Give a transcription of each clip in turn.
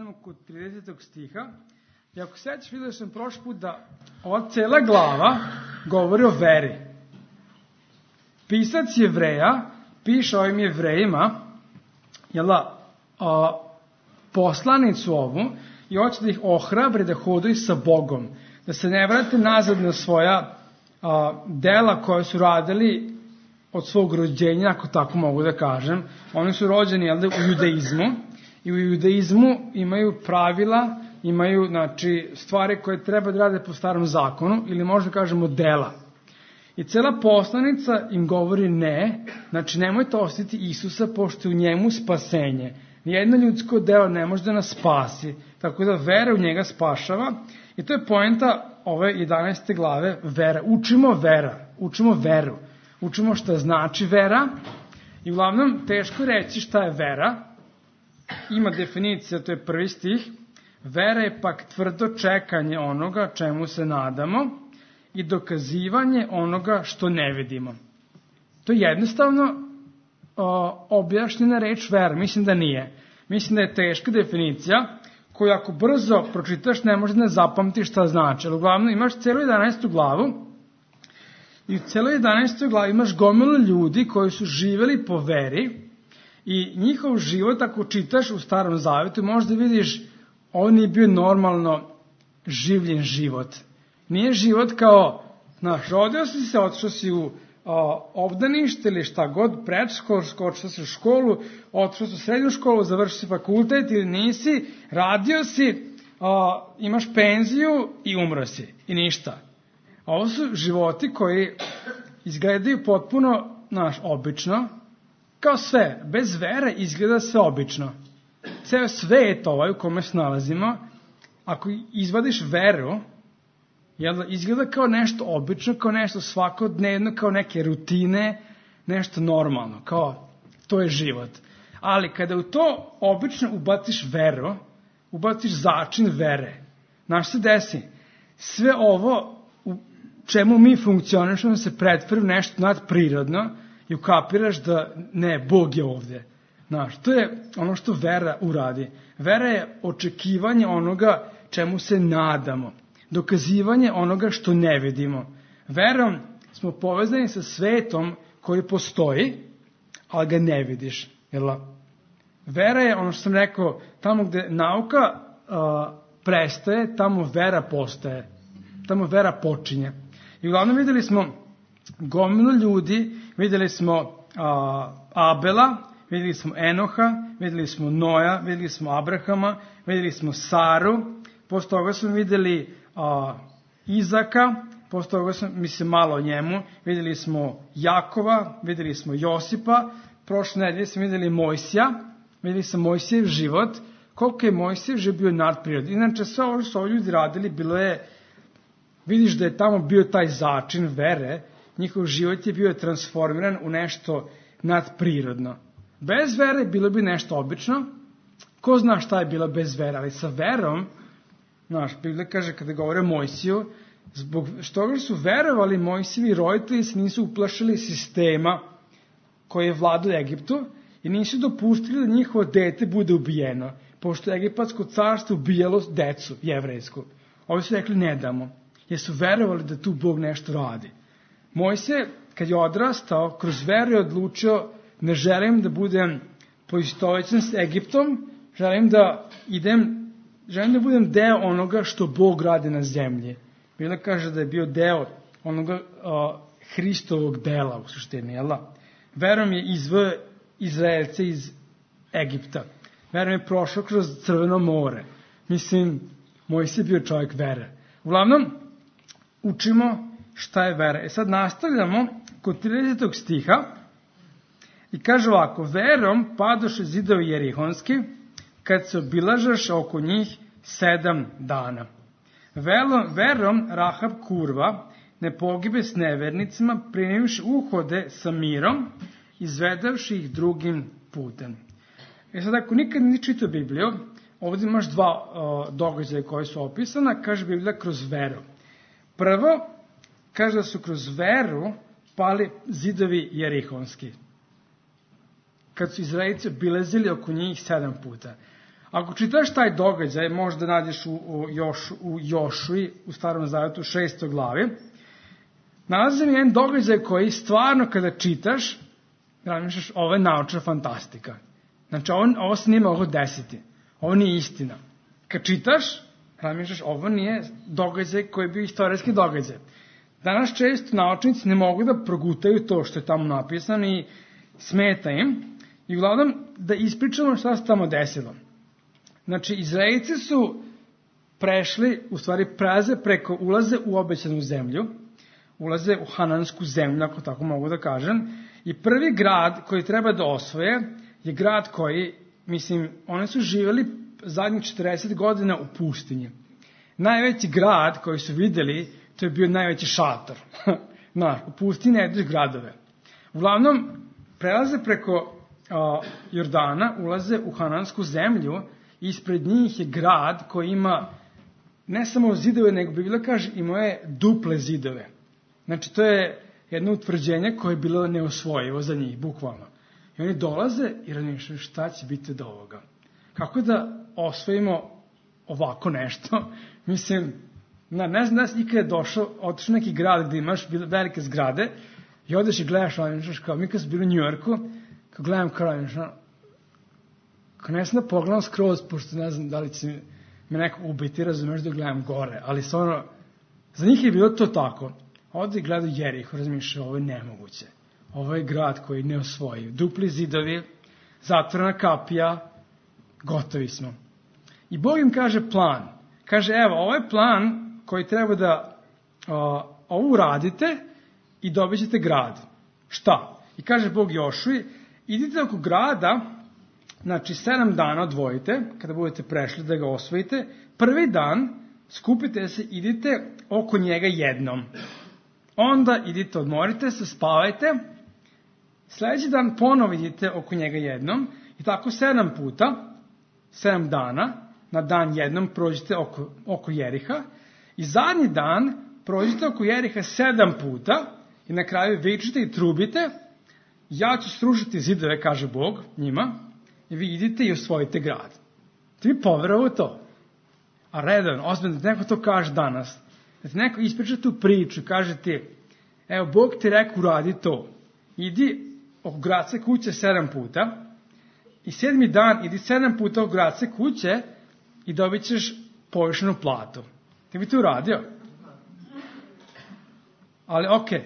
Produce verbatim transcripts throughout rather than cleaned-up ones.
nastavimo kod tridesetog stiha. I ako sećaš, vidio sam prošli put da ova cela glava govori o veri. Pisac Jevreja piše ovim Jevrejima, jel da, a, poslanicu ovu, i hoće da ih ohrabre da hodaju sa Bogom, da se ne vrate nazad na svoja a, dela koje su radili od svog rođenja, ako tako mogu da kažem. Oni su rođeni, jel da, u judaizmu, i u judaizmu imaju pravila, imaju, znači, stvari koje treba da rade po starom zakonu, ili možda kažemo dela. I cela poslanica im govori ne, znači nemojte ostaviti Isusa, pošto je u njemu spasenje. Nijedno ljudsko delo ne može da nas spasi, tako da vera u njega spašava. I to je poenta ove jedanaeste glave, vera. Učimo vera, učimo veru, učimo šta znači vera. I uglavnom teško reći šta je vera. Ima definicija, to je prvi stih. Vera je pak tvrdo čekanje onoga čemu se nadamo i dokazivanje onoga što ne vidimo. To je jednostavno o, objašnjena reč vera. Mislim da nije. Mislim da je teška definicija koju ako brzo pročitaš ne možeš da ne zapamtiš šta znači. Ali uglavnom imaš celu jedanaestu glavu i u celoj jedanaestoj glavi imaš gomilu ljudi koji su živeli po veri i njihov život, ako čitaš u Starom Zavetu, možda vidiš ovo nije bio normalno življen život. Nije život kao, znaš, rodio si se, otišao si u a, obdanište ili šta god, predškolsko, otišao si u školu, otišao si u srednju školu, završio si fakultet ili nisi, radio si, a, imaš penziju i umro si. I ništa. A ovo su životi koji izgledaju potpuno, znaš, obično, kao sve. Bez vere izgleda sve obično. Ceo svet ovaj u kome se nalazimo, ako izvadiš veru, jel, izgleda kao nešto obično, kao nešto svakodnevno, kao neke rutine, nešto normalno, kao to je život. Ali kada u to obično ubaciš veru, ubaciš začin vere, znaš se desi, sve ovo u čemu mi funkcionišemo se pretvori u nešto nadprirodno i ukapiraš da ne, Bog je ovde. Znaš, to je ono što vera uradi. Vera je očekivanje onoga čemu se nadamo. Dokazivanje onoga što ne vidimo. Verom smo povezani sa svetom koji postoji, ali ga ne vidiš. Jel? Vera je, ono što sam rekao, tamo gde nauka uh, prestaje, tamo vera postaje. Tamo vera počinje. I uglavnom videli smo gomilu ljudi, videli smo uh, Abela, videli smo Enoha, videli smo Noja, videli smo Abrahama, videli smo Saru, posle toga smo videli a, Izaka, posle toga smo, mislim, malo o njemu, videli smo Jakova, videli smo Josipa, prošle nedelje smo videli Mojsija, videli smo Mojsijev život, koliko je Mojsijev život bio nadprirodan. Inače, sve ovo što su ovi ljudi radili, bilo je, vidiš da je tamo bio taj začin vere, njihov život je bio transformiran u nešto nadprirodno. Bez vere bilo bi nešto obično. Ko zna šta je bilo bez vere, ali sa verom, znaš, Biblija kaže kada govore o Mojsiju, zbog što su verovali Mojsijevi roditelji se nisu uplašili sistema koji je vladao Egiptu i nisu dopustili da njihovo dete bude ubijeno, pošto je egipatsko carstvo ubijalo decu jevrejsku. Ovi su rekli ne damo, jer su verovali da tu Bog nešto radi. Mojsije, kad je odrastao, kroz veru je odlučio ne želim da budem poistovećen s Egiptom, želim da idem, želim da budem deo onoga što Bog radi na zemlji. Biblia kaže da je bio deo onoga uh, Hristovog dela u suštini, jel da? Verom je izveo Izraelce iz Egipta. Verom je prošao kroz Crveno more. Mislim, Mojsije je bio čovjek vere. Uglavnom, učimo šta je vera. E sad nastavljamo kod tridesetog stiha. I kaže ovako, verom padoše zidovi jerihonski, kad se obilažaš oko njih sedam dana. Velom, verom Rahab kurva ne pogibe s nevernicima, primivši uhode sa mirom, izvedavši ih drugim putem. E sad, ako nikad nisi čitao Bibliju, ovdje imaš dva uh, događaja koje su opisana, kaže Biblija kroz veru. Prvo, kaže da su kroz veru pali zidovi jerihonski, kad su Izraelci obilazili oko njih sedam puta. Ako čitaš taj događaj, možda nađeš u, u, Još, u Jošui, u Starom Zavetu, šestoj glavi, nalazi mi jedan događaj koji stvarno kada čitaš, razmišljaš, ovo je naučna fantastika. Znači, ovo, ovo se nije moglo desiti. Ovo nije istina. Kad čitaš, razmišljaš, ovo nije događaj koji je bio istorijski događaj. Danas često naučnici ne mogu da progutaju to što je tamo napisano i smeta im. I uglavnom da ispričamo šta se tamo desilo. Znači, Izraelci su prešli, u stvari prelaze preko, ulaze u obećanu zemlju, ulaze u hanansku zemlju, ako tako mogu da kažem, i prvi grad koji treba da osvoje je grad koji, mislim, oni su živjeli zadnjih četrdeset godina u pustinji. Najveći grad koji su vidjeli, to je bio najveći šator. Znaš, u pustinji ne ideš gradove. Uglavnom, prelaze preko a, Jordana, ulaze u hanansku zemlju, ispred njih je grad koji ima ne samo zidove, nego Biblija kaže imao je duple zidove. Znači, to je jedno utvrđenje koje je bilo neosvojivo za njih, bukvalno. I oni dolaze i razmišljaju šta će biti od ovoga. Kako da osvojimo ovako nešto? Mislim, na, ne znam da si ikada došao, otišao neki grad gde imaš velike zgrade i odeš i gledaš, razmišljaš kao mi kad smo bili u Njujorku, kao gledam kao razmišljam, kao ne znam da pogledam skroz, pošto ne znam da li će me neko ubiti, razumeš da gledam gore, ali stvarno, za njih je bilo to tako. Ovdje i gledaju Jeriho, razmišljaju, ovo je nemoguće. Ovo je grad koji ne osvoji. Dupli zidovi, zatvorena kapija, gotovi smo. I Bog im kaže plan. Kaže, evo, ovo je plan koji treba da o, ovo uradite i dobit ćete grad. Šta? I kaže Bog Jošui, idite oko grada, znači sedam dana odvojite, kada budete prešli da ga osvojite, prvi dan skupite se, idite oko njega jednom. Onda idite, odmorite se, spavajte, sljedeći dan ponovo idite oko njega jednom i tako sedam puta, sedam dana, na dan jednom prođite oko, oko Jeriha i zadnji dan prođite oko Jeriha sedam puta i na kraju vičite i trubite, ja ću srušiti zidove, kaže Bog njima, i vi idite i osvojite grad. Ti mi poverovao to? A redovno, ozbiljno, da neko to kaže danas, da ti neko ispriča tu priču, kaže ti, evo, Bog ti rekao uradi to, idi oko gradske kuće sedam puta i sedmi dan idi sedam puta oko gradske kuće i dobit ćeš povišenu platu. Ti bi to uradio? Ali okej, okay,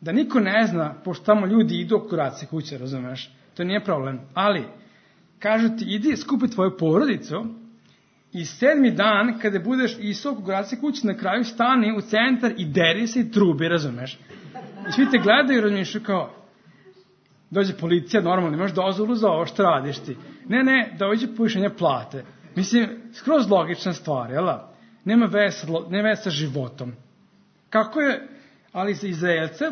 da niko ne zna, pošto tamo ljudi idu oko gradske kuće, razumeš, to nije problem, ali kažu ti, idi skupi tvoju porodicu i sedmi dan, kada budeš išao oko gradske kuće, na kraju stani u centar i deri se i trubi, razumeš? I svi te gledaju i razmišljaju kao, dođe policija, normalno, imaš dozvolu za ovo, što radiš ti? Ne, ne, dođe povišenje plate. Mislim, skroz logična stvar, jel? Nema veze, nema veze sa životom. Kako je, ali za Izraelce,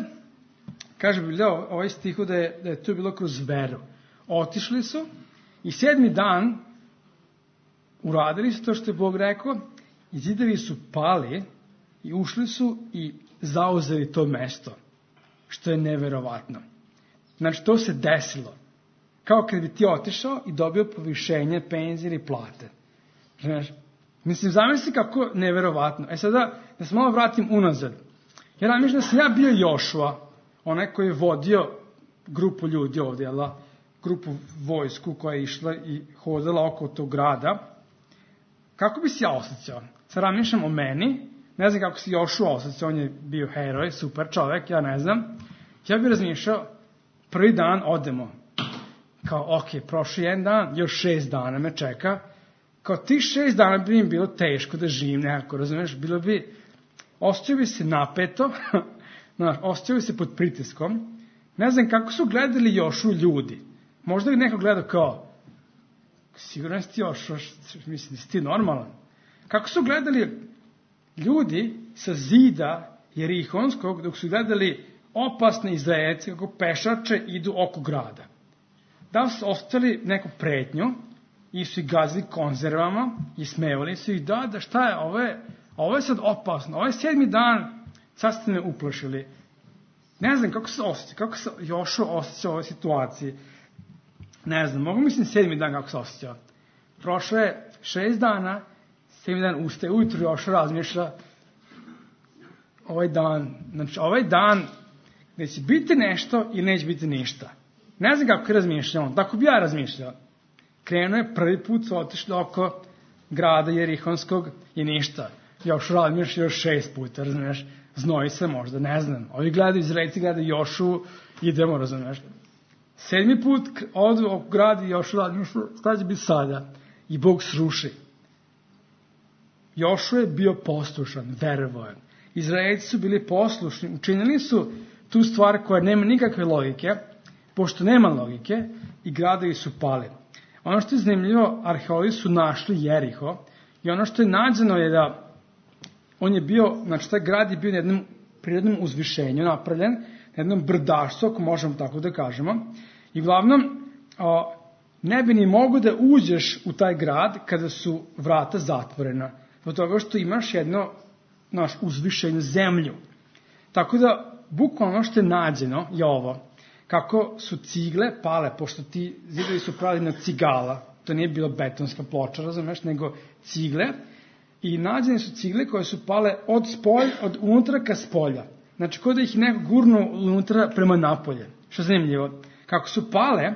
kaže Biblija, ovaj stihu da je, da je to bilo kroz veru. Otišli su i sedmi dan uradili su to što je Bog rekao i zidovi su pali i ušli su i zauzeli to mesto, što je neverovatno. Znači, to se desilo. Kao kad bi ti otišao i dobio povišenje, penzije ili plate. Znaš, mislim, zamisli kako neverovatno. E sada, da se malo vratim unazad. Ja mislim da sam ja bio Jošua, onaj koji je vodio grupu ljudi ovdje, jel, grupu vojsku koja je išla i hodala oko tog grada. Kako bi se ja osjećao? Sad razmišljam o meni, ne znam kako se Jošua osjećao, on je bio heroj, super čovjek, ja ne znam. Ja bih razmišljao, prvi dan odemo. Kao, ok, prošli jedan dan, još šest dana me čeka. Kao ti šest dana bi im bilo teško da živim nekako, razumiješ? Bilo bi, osjećao bi se napeto, znaš, osjećao bi se pod pritiskom. Ne znam kako su gledali Jošu ljudi. Možda bi neko gledao kao, sigurno si ti Jošua, mislim, si ti normalan. Kako su gledali ljudi sa zida Jerihonskog, dok su gledali opasne Izraelce kako pešače idu oko grada. Da su ostali neku pretnju i su ih gazili konzervama i smevali su ih, da, da šta je, ovo je, ovo je sad opasno, ovo je sedmi dan, sad ste me uplašili. Ne znam kako se osjeća, kako se Jošua osjeća u ovoj situaciji. Ne znam, mogu mislim sedmi dan kako se osjeća. prošlo je šest dana, sedmi dan ustaje ujutru i još razmišlja ovaj dan, znači ovaj dan gde će biti nešto ili neće biti ništa. Ne znam kako je razmišljao, tako bi ja razmišljao. Krenuo je prvi put, su otišli oko grada Jerihonskog i ništa. Još razmišlja još šest puta, razumiješ, znoji se možda, ne znam. Ovi gledaju, Izraelci gledaju Jošu, idemo, razumiješ. Sedmi put odu oko grada i Jošu razmišlja, šta će biti sada? I Bog sruši. Jošu je bio poslušan, verovao je. Izraelci su bili poslušni, učinili su tu stvar koja nema nikakve logike, pošto nema logike, i gradovi su pali. Ono što je zanimljivo, arheologi su našli Jeriho i ono što je nađeno je da on je bio, znači taj grad je bio na jednom prirodnom uzvišenju napravljen, na jednom brdašcu, ako možemo tako da kažemo, i uglavnom o, ne bi ni mogo da uđeš u taj grad kada su vrata zatvorena, zbog toga što imaš jedno naš uzvišenju zemlju. Tako da, bukvalno ono što je nađeno je ovo, kako su cigle pale, pošto ti zidovi su pravili na cigala, to nije bila betonska ploča, razumeš, nego cigle, i nađene su cigle koje su pale od spolj, od unutra ka spolja. Znači, kod da ih neko gurnu unutra prema napolje. Što je zanimljivo. Kako su pale,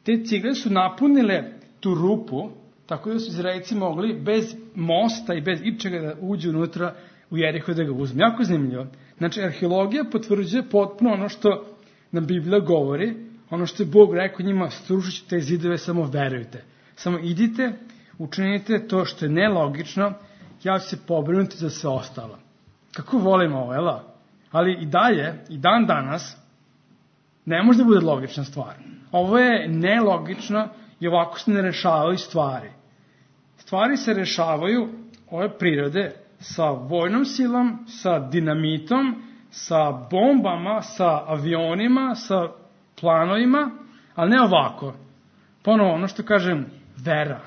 te cigle su napunile tu rupu, tako da su Izraelci mogli bez mosta i bez ičega da uđu unutra u Jeriho da ga uzme. Jako zanimljivo. Znači, arheologija potvrđuje potpuno ono što nam Biblija govori, ono što je Bog rekao njima, srušit ću te zidove, samo verujte. Samo idite, učinite to što je nelogično, ja ću se pobrinuti za sve ostalo. Kako volim ovo, jel? Ali i dalje, i dan danas, ne može da bude logična stvar. Ovo je nelogično i ovako se ne rešavaju stvari. Stvari se rešavaju ove prirode sa vojnom silom, sa dinamitom, sa bombama, sa avionima, sa planovima, ali ne ovako. Ponovo, ono što kažem, vera.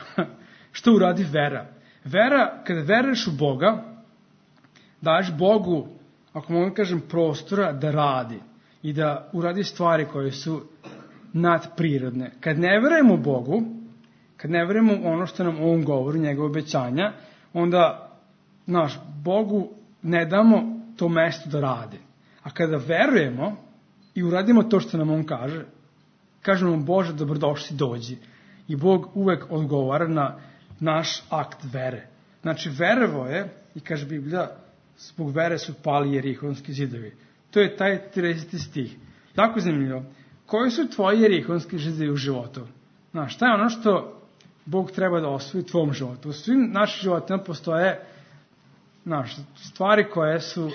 Što uradi vera? Vera, kada veruješ u Boga, daješ Bogu, ako mogu kažem, prostora da radi i da uradi stvari koje su nadprirodne. Kad ne verujemo u Bogu, kad ne verujemo u ono što nam on govori, njegove obećanja, onda, naš, Bogu ne damo to mesto da radi. A kada verujemo i uradimo to što nam on kaže, kažemo mu, Bože, dobrodošli, dođi. I Bog uvek odgovara na naš akt vere. Znači, verovo je, i kaže Biblija, zbog vere su pali Jerihonski zidovi. To je taj trideseti stih. Jako zanimljivo. Koji su tvoji Jerihonski zidovi u životu? Znaš, šta je ono što Bog treba da osvoji u tvom životu? U svim našim životima postoje, znaš, stvari koje su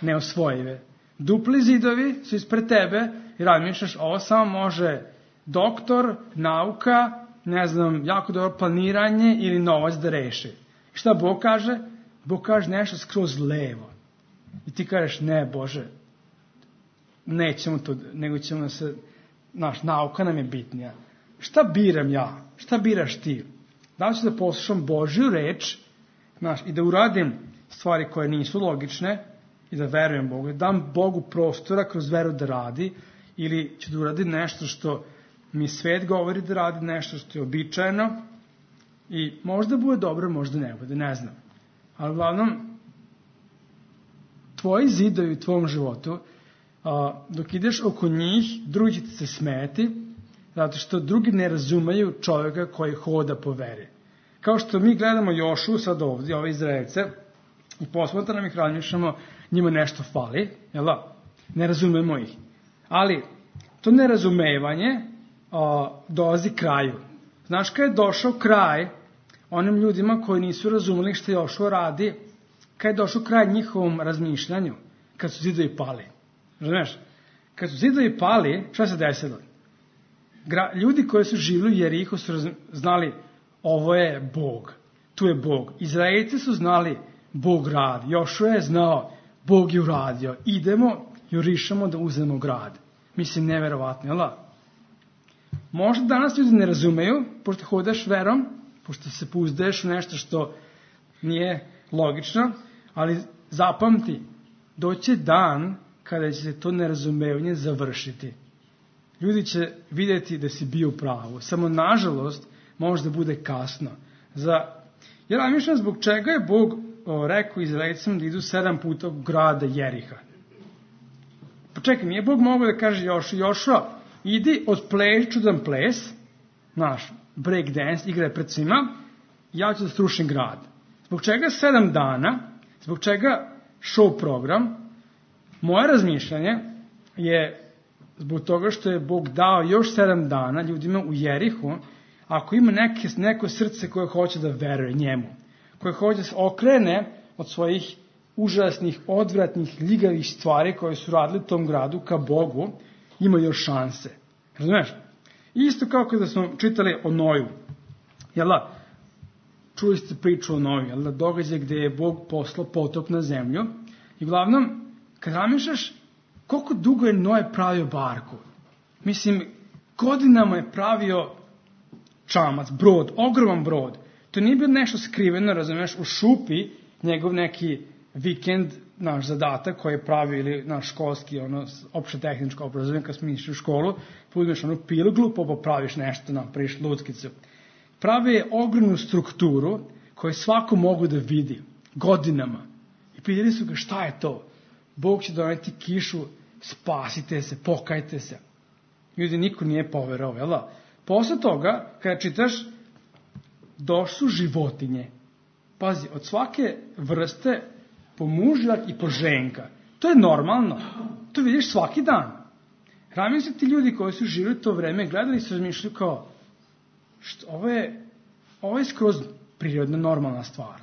neosvojive. Dupli zidovi su ispred tebe i razmišljaš, ovo samo može doktor, nauka, ne znam, jako dobro planiranje ili novac da reši. I šta Bog kaže? Bog kaže nešto skroz levo. I ti kažeš, ne, Bože, nećemo to, nego ćemo da se, naš, nauka nam je bitnija. Šta biram ja? Šta biraš ti? Da li ću da poslušam Božju reč, znaš, i da uradim stvari koje nisu logične i da verujem Bogu, da dam Bogu prostora kroz veru da radi, ili ću da uradim nešto što mi svet govori da radi, nešto što je običajno i možda bude dobro, možda ne bude, ne znam. Ali uglavnom, tvoji zidovi u tvom životu, a, dok ideš oko njih, drugi će ti se smeti, zato što drugi ne razumeju čovjeka koji hoda po veri. Kao što mi gledamo Jošu sad ovdje, ove Izraelce, i posmatramo ih, razmišljamo, njima nešto fali, jel da? Ne razumemo ih. Ali to nerazumevanje a, dolazi kraju. Znaš kada je došao kraj onim ljudima koji nisu razumeli što Jošua radi, kada je došao kraj njihovom razmišljanju, kad su zidovi pali. Razumeš? Kad su zidovi pali, šta se desilo? Gra, ljudi koji su živjeli u Jerihu su raz, znali, ovo je Bog, tu je Bog. Izraelci su znali, Bog radi. Jošua je znao, Bog je uradio. Idemo, jurišamo da uzmemo grad. Mislim, neverovatno, jel da? Možda danas ljudi ne razumeju, pošto hodaš verom, pošto se pouzdaješ u nešto što nije logično, ali zapamti, doće dan kada će se to nerazumevanje završiti. Ljudi će vidjeti da si bio u pravu. Samo, nažalost, možda bude kasno. Za, ja razmišljam zbog čega je Bog o, rekao Izraeljcima da idu sedam puta u grada Jeriha. Pa čekaj, nije Bog mogao da kaže Jošu, Jošua, idi odpleši čudan ples, naš break dance, igra pred svima, ja ću da srušim grad. Zbog čega sedam dana, zbog čega show program, moje razmišljanje je zbog toga što je Bog dao još sedam dana ljudima u Jerihu, ako ima neke, neko srce koje hoće da veruje njemu, koje hoće da se okrene od svojih užasnih, odvratnih, ljigavih stvari koje su radili u tom gradu ka Bogu, ima još šanse. Razumeš? Isto kao kada smo čitali o Noju. Jel da? Čuli ste priču o Noju, jel da? Događaj gde je Bog poslao potop na zemlju. I uglavnom, kad razmišljaš koliko dugo je Noje pravio barku. Mislim, godinama je pravio čamac, brod, ogroman brod. To nije bilo nešto skriveno, razumeš, u šupi, njegov neki vikend, naš zadatak koji je pravio, ili naš školski, ono, opšte tehničko obrazovanje, kad smo išli u školu, uzmeš onu pilglu, pa popraviš nešto, napraviš luckicu. Pravi je ogromnu strukturu koju svako mogu da vidi, godinama. I pitali su ga šta je to? Bog će doneti kišu, spasite se, pokajte se. Ljudi, niko nije poverovao, jel da? Posle toga, kada čitaš, došli su životinje. Pazi, od svake vrste po mužjak i po ženka. To je normalno. To vidiš svaki dan. Razmišljaju ti ljudi koji su živjeli to vreme, gledali su, razmišljaju kao, što, ovo, je, ovo je skroz prirodna, normalna stvar.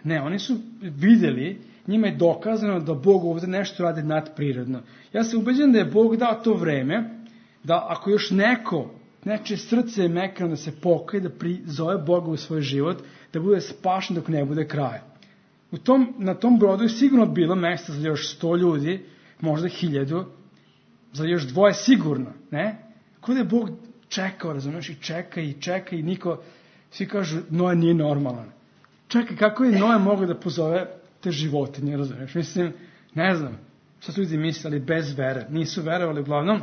Ne, oni su vidjeli, njima je dokazano da Bog ovdje nešto radi nadprirodno. Ja sam ubeđen da je Bog dao to vreme, da ako još neko, neče srce je mekano da se pokaje, da prizove Boga u svoj život, da bude spašen dok ne bude kraj. U tom, na tom brodu je sigurno bilo mjesta za još sto ljudi, možda hiljadu, za još dvoje sigurno, ne? Kako da je Bog čekao, razumiješ, i čeka i čeka i niko, svi kažu, Noe nije normalan. Čekaj, kako je Noe mogao da pozove te životinje, razumiješ? Mislim, ne znam, šta su ljudi mislili bez vere, nisu verovali, uglavnom,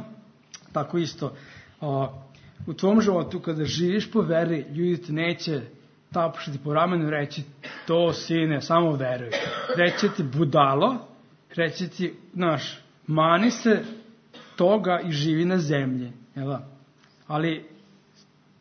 tako isto, a, u tvom životu, kada živiš po veri, ljudi te neće tapšati po ramenu i reći, to sine, samo veruj. Reći ti budalo, reći ti, znaš, mani se toga i živi na zemlji. Jel? Ali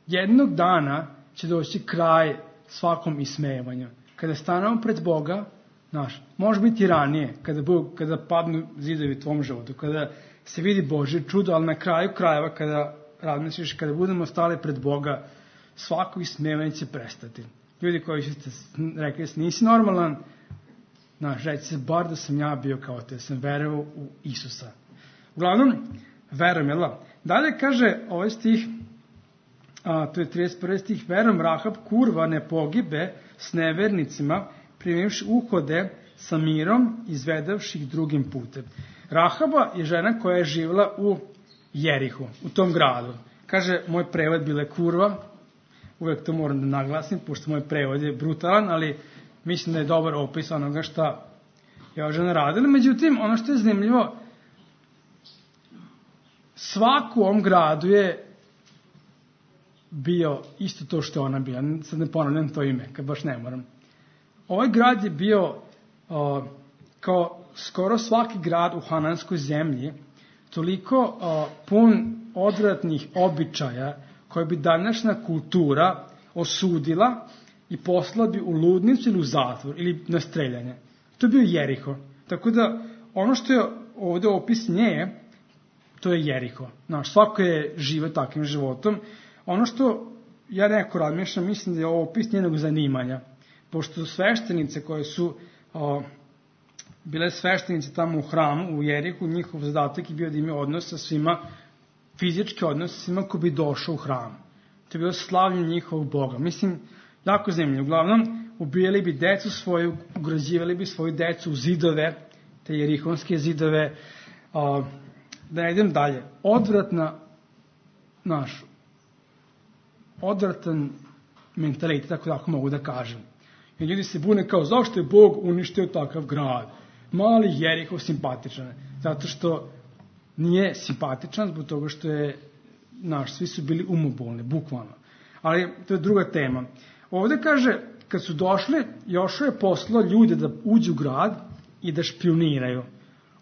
jednog dana će doći kraj svakom ismevanju. Kada stanemo pred Boga, znaš, može biti ranije, kada, Bog, kada padnu zidovi u tvom životu, kada se vidi Božje čudo, ali na kraju krajeva, kada razmisliš, kada budemo stali pred Boga, svako ismevanje će prestati. Ljudi koji ste rekli da nisi normalan, znaš, reći se, bar da sam ja bio kao te, sam verovao u Isusa. Uglavnom, verujem, jel da? Dalje kaže ovaj stih, a, to je trideset prvi stih, verujem Rahab kurva ne pogibe s nevernicima, primivši uhode sa mirom, izvedavši ih drugim putem. Rahaba je žena koja je živjela u Jerihu, u tom gradu. Kaže, moj prevod bila je kurva, uvek to moram da naglasim, pošto moj prevod je brutalan, ali mislim da je dobar opis onoga šta je ova žena radila. Međutim, ono što je zanimljivo, svaku u ovom gradu je bio isto to što je ona bila. Sad ne ponavljam to ime, kad baš ne moram. Ovaj grad je bio o, kao skoro svaki grad u Hananskoj zemlji, toliko o, pun odvratnih običaja koje bi današnja kultura osudila i poslala bi u ludnicu ili u zatvor ili na streljanje. To je bio Jeriho. Tako da ono što je ovdje opis nje, to je Jeriho. Znaš, svako je žive takvim životom. Ono što ja neko razmišljam, mislim da je ovo opis njenog zanimanja. Pošto sveštenice koje su o, bile sveštenice tamo u hramu, u Jerihu, njihov zadatak je bio da imaju odnos sa svima, fizički odnos sa svima ko bi došao u hram. To je bilo slavljenje njihovog Boga. Mislim, jako zanimljivo. Uglavnom, ubijali bi decu svoju, ugrađivali bi svoju decu u zidove, te jerihonske zidove. O, da ne idem dalje. Odvratna, naš, odvratan mentalitet, tako tako mogu da kažem. I ljudi se bune kao, zašto je Bog uništio takav grad? Mali Jeriho simpatičan. Zato što nije simpatičan, zbog toga što je, naš, svi su bili umobolni, bukvalno. Ali to je druga tema. Ovde kaže, kad su došli, Jošua je poslao ljude da uđu u grad i da špioniraju.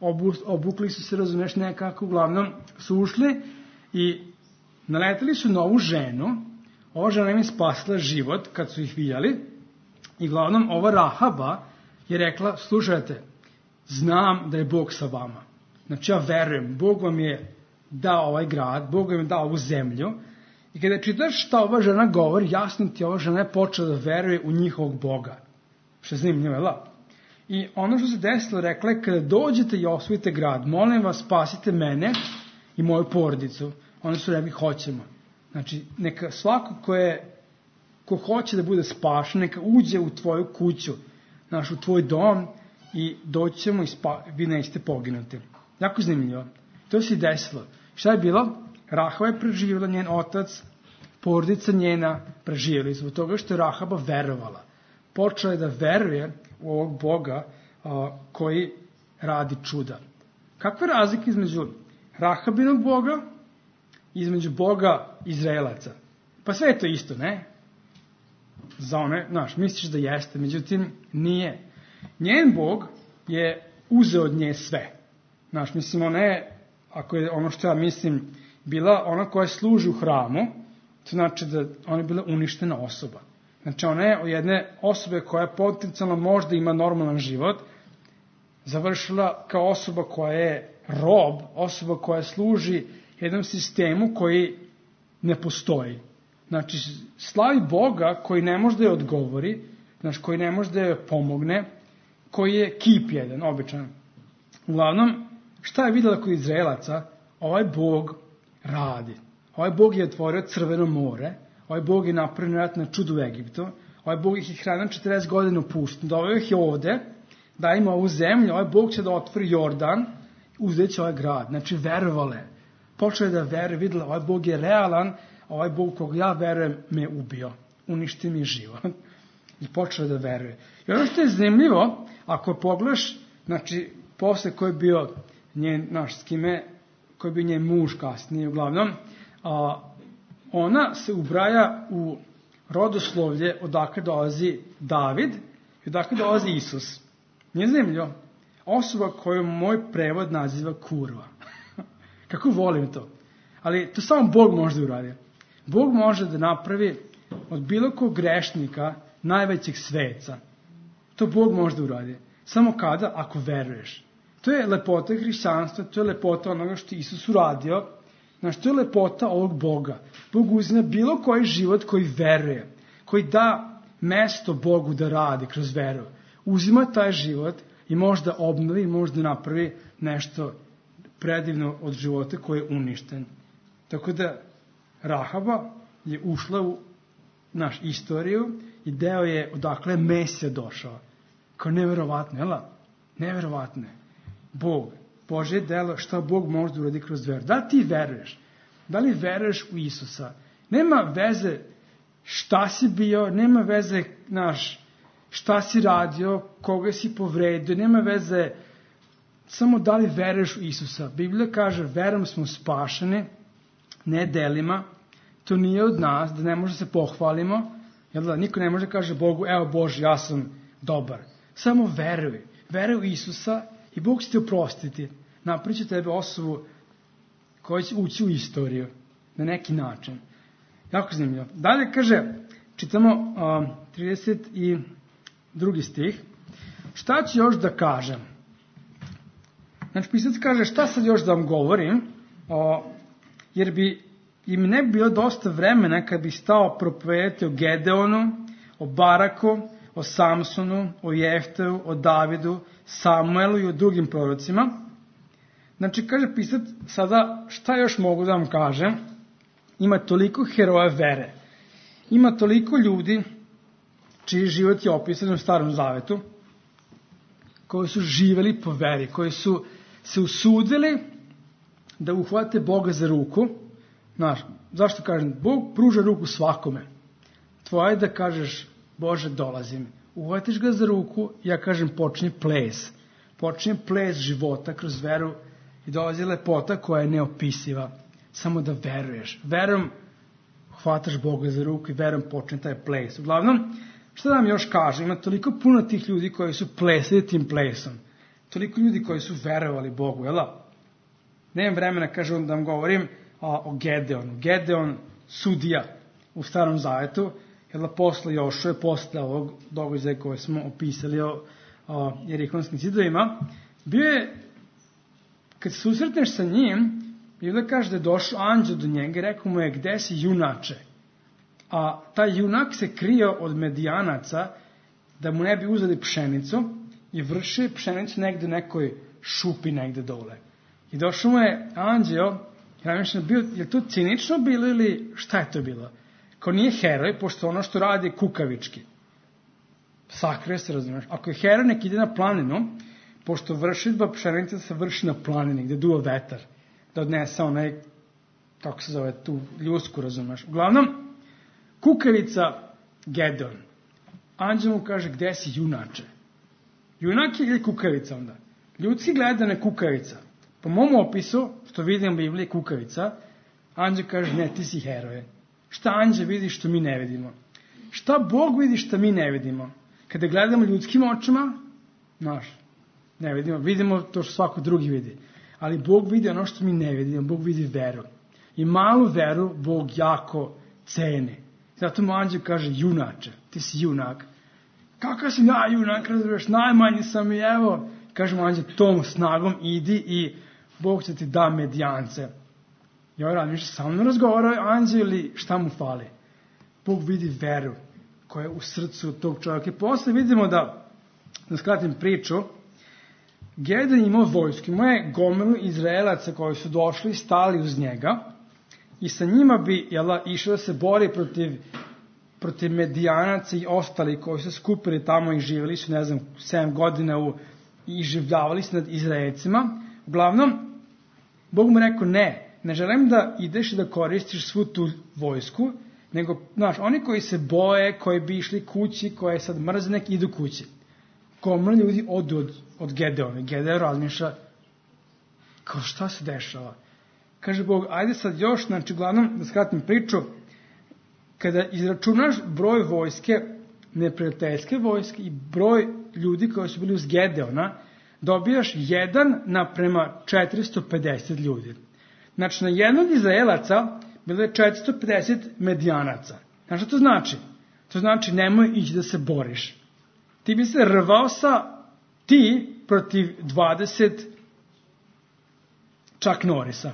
Obu, obukli su se, razumeš, nekako, uglavnom su ušli i naleteli su na ovu ženu. Ova žena im je spasila život kad su ih vidjeli. I uglavnom ova Rahaba je rekla, slušajte, znam da je Bog sa vama. Znači ja verujem, Bog vam je dao ovaj grad, Bog vam je dao ovu zemlju. I kada čitaš šta ova žena govori, jasno ti ova žena je počela da veruje u njihovog Boga. Što je zanimljivo, je la? I ono što se desilo, rekla je, kada dođete i osvojite grad, molim vas, spasite mene i moju porodicu. Oni su rekli, hoćemo. Znači, neka svako ko, je, ko hoće da bude spašen, neka uđe u tvoju kuću, znaš, u tvoj dom i doći ćemo i spa, vi nećete poginuti. Jako zanimljivo. To se i desilo. Šta je bilo? Rahaba je preživjela, njen otac, porodica njena preživjeli zbog toga što je Rahaba verovala. Počela je da veruje u ovog Boga a, koji radi čuda. Kakva je razlika između Rahabinog Boga i između Boga Izraelaca? Pa sve je to isto, ne? Za one, znaš, misliš da jeste, međutim nije. Njen Bog je uzeo od nje sve. Znaš, mislim, ona je, ako je ono što ja mislim, bila ona koja služi u hramu, to znači da ona je bila uništena osoba. Znači, ona je od jedne osobe koja potencijalno možda ima normalan život, završila kao osoba koja je rob, osoba koja služi jednom sistemu koji ne postoji. Znači, slavi Boga koji ne može da je odgovori, znači, koji ne može da je pomogne, koji je kip jedan, običan. Uglavnom, šta je vidjela kod Izraelaca? Ovaj Bog radi. Ovaj Bog je otvorio Crveno more, ovaj Bog je napravio ratno čudo u Egiptu, ovaj Bog ih je hranio četrdeset godina u pustinji, doveo ih je ovde, da ima ovu zemlju, ovaj Bog će da otvori Jordan, uzet će ovaj grad. Znači, verovale. Počela je da veruje, videla, ovaj Bog je realan, ovaj Bog kog ja verujem me je ubio. Uništi mi život. I počela da veruje. I ono što je zanimljivo, ako pogledaš, znači, posle ko je bio njen, naš, s kime, ko je bio njen muž kasnije, uglavnom, a, ona se ubraja u rodoslovlje odakle dolazi David i odakle dolazi Isus. Nije zanimljivo? Osoba koju moj prevod naziva kurva. Kako volim to. Ali to samo Bog može da uradi. Bog može da napravi od bilo kog grešnika najvećeg sveca. To Bog može da uradi. Samo kada? Ako veruješ. To je lepota hrišćanstva, to je lepota onoga što Isus uradio. Znači, to je lepota ovog Boga. Bog uzme bilo koji život koji veruje, koji da mesto Bogu da radi kroz veru. Uzima taj život i može da obnovi, i može da napravi nešto predivno od života koji je uništen. Tako da Rahaba je ušla u naš istoriju i deo je odakle je Mesija došao. Kao neverovatno, jel? Neverovatno je. Bog, Božje delo, šta Bog može da uradi kroz veru. Da li ti veruješ? Da li veruješ u Isusa? Nema veze šta si bio, nema veze, znaš, šta si radio, koga si povredio, nema veze samo da li veruješ u Isusa. Biblija kaže, verom smo spašeni, ne delima, to nije od nas, da ne može se pohvalimo, jel da, niko ne može kaže Bogu, evo Bože, ja sam dobar. Samo veruj, veruj u Isusa i Bog će te oprostiti. Napravit će tebe osobu koja će ući u istoriju na neki način. Jako zanimljivo. Dalje kaže, čitamo um, trideset drugi stih. Šta ću još da kažem? Znači, pisac kaže, šta sad još da vam govorim, o, jer bi im ne bi bilo dosta vremena kad bi stao propovedati o Gedeonu, o Baraku, o Samsonu, o Jefteu, o Davidu, Samuelu i o drugim prorocima. Znači, kaže pisac, sada šta još mogu da vam kažem? Ima toliko heroja vere. Ima toliko ljudi čiji život je opisan u Starom Zavetu, koji su živeli po veri, koji su se usudili da uhvate Boga za ruku. Znaš, zašto kažem? Bog pruža ruku svakome. Tvoje je da kažeš, Bože, dolazim. Uhvatiš ga za ruku, ja kažem, počni ples. Počni ples života kroz veru i dolazi lepota koja je neopisiva. Samo da veruješ. Verom hvataš Boga za ruku i verom počne taj ples. Uglavnom, šta da vam još kažem, ima toliko puno tih ljudi koji su plesali tim plesom. Toliko ljudi koji su verovali Bogu, jel da? Nemam vremena, kažem, da vam govorim a, o Gedeonu. Gedeon, sudija u Starom Zavetu, jel da, posle Jošue, posle ovog događaja koje smo opisali o, o Jerihonskim zidovima, bio je, kad se susretneš sa njim, Biblia kaže da je došao anđeo do njega i rekao mu je, gde si, junače? A taj junak se krio od Medijanaca da mu ne bi uzeli pšenicu i vrši pšenicu negde u nekoj šupi negde dole. I došao mu je anđeo, je to cinično bilo ili šta je to bilo? Kao nije heroj, pošto ono što radi je kukavički. Sakrio se, razumiješ. Ako je heroj, nek ide na planinu, pošto vršidba pšenice se vrši na planini, gde duva vetar, da odnese onaj, kako se zove, tu ljusku, razumiješ. Uglavnom, kukavica Gedeon. Anđel mu kaže, gde si, junače? Junak je ili kukavica onda? Ljudski gleda na kukavica. Po mom opisu, što vidim u Bibliji, kukavica, anđel kaže, ne, ti si heroje. Šta anđel vidi što mi ne vidimo? Šta Bog vidi što mi ne vidimo? Kada gledamo ljudskim očima, znaš, ne vidimo, vidimo to što svako drugi vidi. Ali Bog vidi ono što mi ne vidimo, Bog vidi veru. I malu veru Bog jako ceni. Zato mu anđel kaže, junače, ti si junak. Kakav si ja junak, razumiješ, najmanji sam i evo, kaže mu anđel, tom snagom idi i Bog će ti da Medijance. I ovaj rad, više sa mnom razgovara anđel ili šta mu fali? Bog vidi veru koja je u srcu tog čovjeka. I posle vidimo da, da skratim priču, Gedeon imao vojsku, imao je gomilu Izraelaca koji su došli i stali uz njega i sa njima bi jela, išao da se bori protiv, protiv Medijanaca i ostali koji su skupili tamo i živjeli su, ne znam, sedam godina u, i življavali se nad Izraelcima. Uglavnom, Bog mu rekao, ne, ne želim da ideš i da koristiš svu tu vojsku, nego, znaš, oni koji se boje, koji bi išli kući, koji sad mrze, nek idu kući. Gomila ljudi odu od, od Gedeona. Gedeon razmišlja, kao šta se dešava? Kaže Bog, ajde sad još, znači, uglavnom, da skratim priču, kada izračunaš broj vojske, neprijateljske vojske i broj ljudi koji su bili uz Gedeona, dobijaš jedan naprema četiristo pedeset ljudi. Znači, na jednog Izraelaca bilo je četiristo pedeset Medijanaca. Znaš što to znači? To znači, nemoj ići da se boriš. Ti bi se rvao sa ti protiv dvadeset Chuck Norrisa.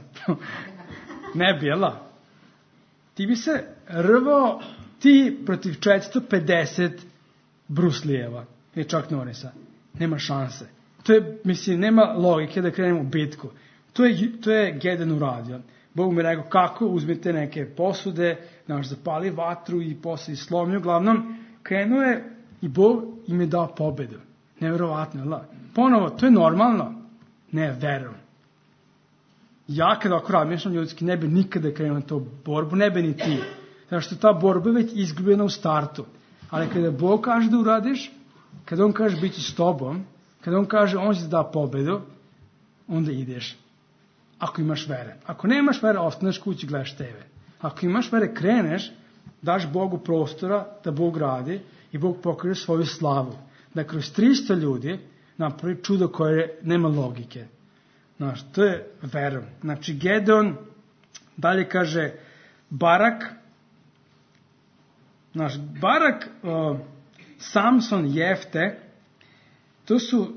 Ne bi, jel? Ti bi se rvao ti protiv četiristo pedeset Bruce Lee-eva i Chuck Norrisa. Nema šanse. To je, mislim, nema logike da krenemo u bitku. To je, to je Gedeon uradio. Bog mi rekao, kako, uzmite neke posude, naš zapali vatru i posle slomlju. Uglavnom, krenuo je i Bog im je dao pobedu. Nevjerovatno, jel? Ponovo, to je normalno. Ne, verom. Ja kada ako razmišljam ljudski, ne bi nikada krenuo na tu borbu, ne bi ni ti. Zato što ta borba je već izgubljena u startu. Ali kada Bog kaže da uradiš, kada on kaže bit će s tobom, kada on kaže on će da pobedu, onda ideš. Ako imaš vere. Ako nemaš vere, ostaneš kući, gledaš te ve. Ako imaš vere, kreneš, daš Bogu prostora da Bog radi i Bog pokaže svoju slavu. Da kroz tristo ljudi napravi čudo koje nema logike. Znaš, to je verom. Znači, Gedeon, dalje kaže, Barak, znaš, Barak, uh, Samson, Jefte, to su,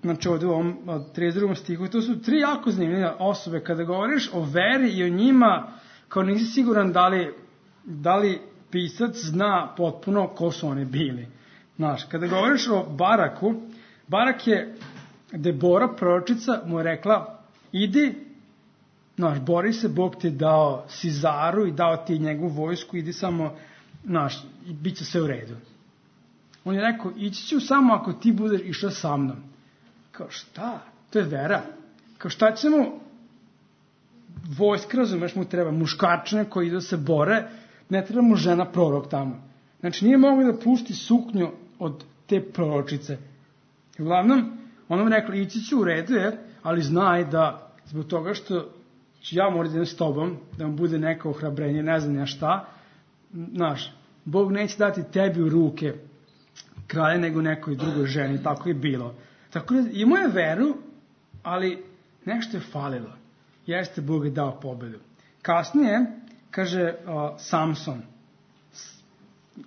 znači ovdje u ovom trideset drugom stihu, to su tri jako zanimljive osobe. Kada govoriš o veri i o njima, kao nisi siguran da li, da li pisac zna potpuno ko su oni bili. Znaš, kada govoriš o Baraku, Barak je, Debora, proročica, mu je rekla, idi, znaš, bori se, Bog ti je dao Sizaru i dao ti njegovu vojsku, idi samo, znaš, i bit će sve u redu. On je rekao, ići ću samo ako ti budeš išao sa mnom. Kao šta? To je vera. Kao šta ćemo, vojska, razumeš, mu treba muškarčine koji idu se bore, ne treba mu žena prorok tamo. Znači, nije mogla da pušti suknju od te proročice. I uglavnom, ona mi rekla, ići ću u redu, jer, ali znaj da zbog toga što ću ja morati da idem s tobom, da vam bude neko ohrabrenje, ne znam ja šta, znaš, Bog neće dati tebi u ruke kralje nego nekoj drugoj ženi, tako je bilo. Tako da imao je veru, ali nešto je falilo. Jeste, Bog je dao pobedu. Kasnije, kaže uh, Samson,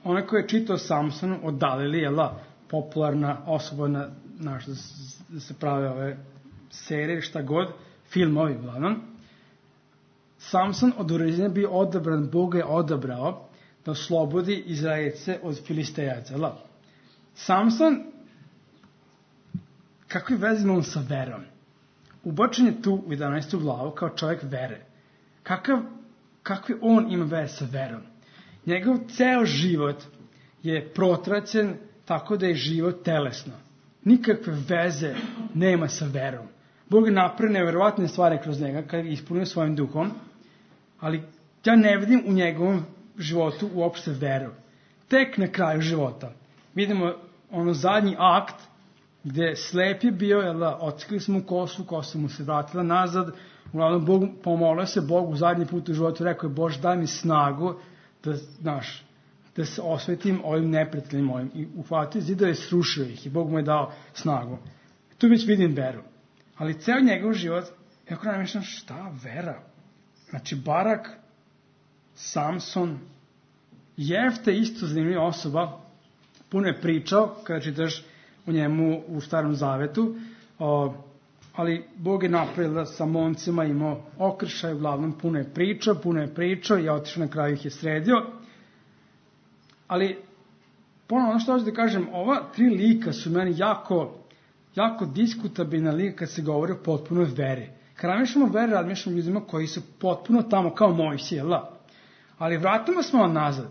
onaj koji je čitao Samsonu od Dalili, je la, popularna osoba na, naš, da, da se prave ove serije, šta god, filmovi, uglavnom. Samson od uređenja bio odabran, Bog je odabrao da oslobodi Izraelce od Filistejaca. La. Samson, kakve veze ima on sa verom? Ubačen je tu u jedanaestu glavu kao čovjek vere. Kakav, kakve on ima veze sa verom? Njegov ceo život je protraćen tako da je život telesno. Nikakve veze nema sa verom. Bog je napravio neverovatne stvari kroz njega kad je ispunio svojim duhom, ali ja ne vidim u njegovom životu uopšte veru. Tek na kraju života vidimo ono zadnji akt gde slep je bio, jel da, otkrili smo kosu, kosa mu se vratila nazad, uglavnom Bog, pomolio se Bogu zadnji put u životu, rekao je, Bože, daj mi snagu da, znaš, da se osvetim ovim neprijateljima ovim. I uhvatio zidove, srušio ih i Bog mu je dao snagu. Tu već vidim veru. Ali ceo njegov život, jako namišljam, šta vera? Znači, Barak, Samson, Jefte, isto zanimljiva osoba, puno je pričao, kada čitaš u njemu u Starom Zavetu, o, ali Bog je napravio da sa momcima imao okršaj, uglavnom puno je pričao, puno je pričao, ja otišao na kraju ih je sredio. Ali, ponovno, ono što hoću da kažem, ova tri lika su meni jako, jako diskutabilna lika kad se govori o potpunoj veri. Kada razmišljamo o veri, razmišljamo ljudima koji su potpuno tamo kao Mojsije, la. Ali vratimo smo nazad,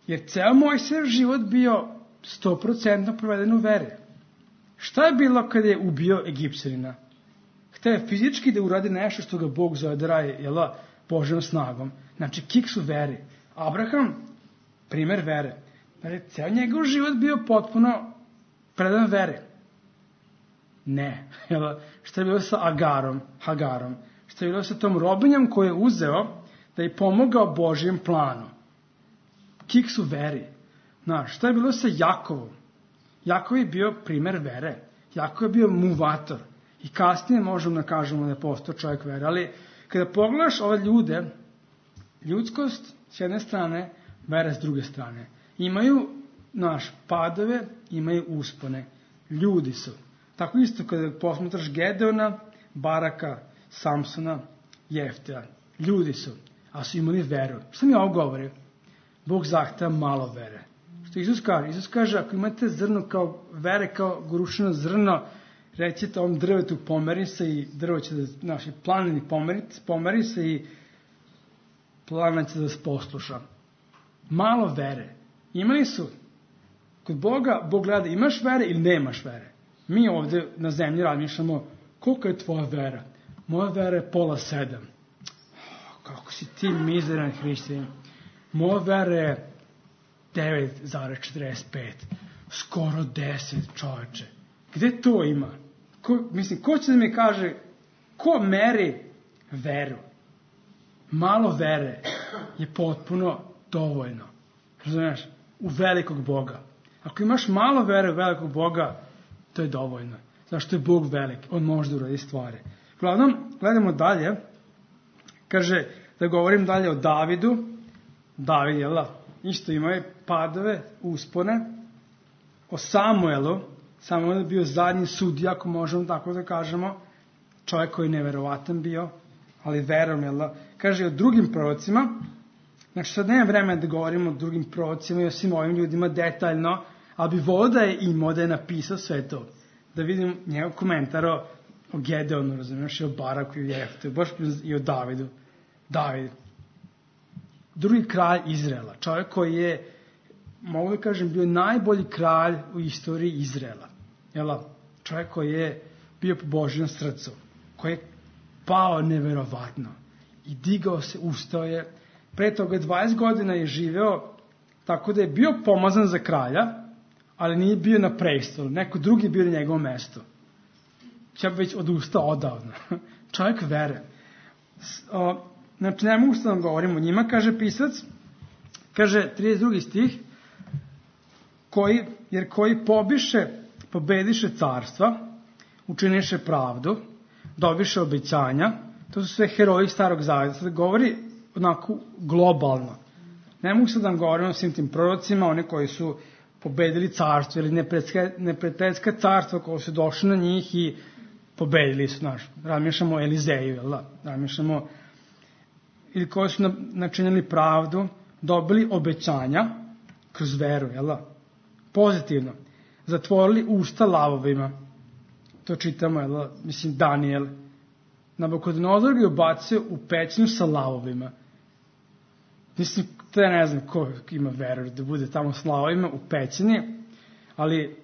jer ceo Mojsijev život bio sto procentno proveden u veri. Šta je bilo kada je ubio Egipćanina? Hteo je fizički da uradi nešto što ga Bog zove da radi, jel, Božjom snagom. Znači, kiks u veri. Abraham, primer vere. Znači, ceo njegov život bio potpuno predan veri. Ne. Jel, šta je bilo sa Agarom, Hagarom? Šta je bilo sa tom robinjom koju je uzeo da je pomogao Božjem planu? Kiks u veri. Znaš, šta je bilo sa Jakovom? Jakov je bio primer vere. Jakov je bio muvator. I kasnije možemo da kažemo da je postao čovjek vere. Ali kada pogledaš ove ljude, ljudskost s jedne strane, vera s druge strane. Imaju, naš, padove, imaju uspone. Ljudi su. Tako isto kada posmatraš Gedeona, Baraka, Samsona, Jeftea. Ljudi su. A su imali veru. Šta mi ovo govori? Bog zahteva malo vere. Što Isus kaže? Isus kaže, ako imate zrno kao vere, kao grušeno zrno, recite ovom drvetu pomeri se i drvo će da, naši planini pomeri, pomeri se i plana će da se posluša. Malo vere. Imali su. Kod Boga, Bog gleda, imaš vere ili nemaš vere. Mi ovde na zemlji razmišljamo, koliko je tvoja vera? Moja vera je pola sedam. Kako si ti mizeran hrišćanin. Moja vera je devet zarez četrdeset pet. Skoro deset, čoveče. Gde to ima? Ko, mislim, ko će da mi kaže, ko meri veru? Malo vere je potpuno dovoljno. Razumiješ? U velikog Boga. Ako imaš malo vere u velikog Boga, to je dovoljno. Zašto je Bog velik? On može da uradi stvari. Uglavnom, gledamo dalje. Kaže, da govorim dalje o Davidu. David, jel da? Isto imao padove, uspone. O Samuelu. Samuel je bio zadnji sudija, ako možemo tako da kažemo. Čovjek koji je neverovatan bio, ali verom, jel da? Kaže o drugim prorocima. Znači, sad nema vremena da govorimo o drugim prorocima i o svim ovim ljudima detaljno, ali bi volio da je imao, da je napisao sve to. Da vidim njegov komentar o, o Gedeonu, razumiješ, i o Baraku i o Jeftu, baš i o Davidu. David. Drugi kralj Izraela. Čovjek koji je, mogu da kažem, bio najbolji kralj u istoriji Izraela. Jel? Čovjek koji je bio po Božjem srcu. Koji je pao neverovatno. I digao se, ustao je. Pre toga dvadeset godina je živeo tako da je bio pomazan za kralja, ali nije bio na prestolu. Neko drugi je bio na njegovom mestu. Ja bi već odustao odavno. Čovjek vere. O, znači, ne mogu što da vam govorim o njima, kaže pisac. Kaže, trideset drugi stih, koji, jer koji pobiše, pobediše carstva, učiniše pravdu, dobiše obećanja, to su sve heroji starog zaveta. Sada govori onako globalno. Ne mogu sad da vam govorim o svim tim prorocima, one koji su pobedili carstvo ili neprijateljska carstva koji su došli na njih i pobedili su, znaš, razmišljamo o Elizeju, jel da, razmišljamo, ili koji su načinili pravdu, dobili obećanja kroz veru, jel da, pozitivno, zatvorili usta lavovima, to čitamo, jel da, mislim, Danijel, Nabukodonozor ga je ubacio u pećinu sa lavovima. Mislim, to ja ne znam ko ima veru da bude tamo s lavovima u pećini, ali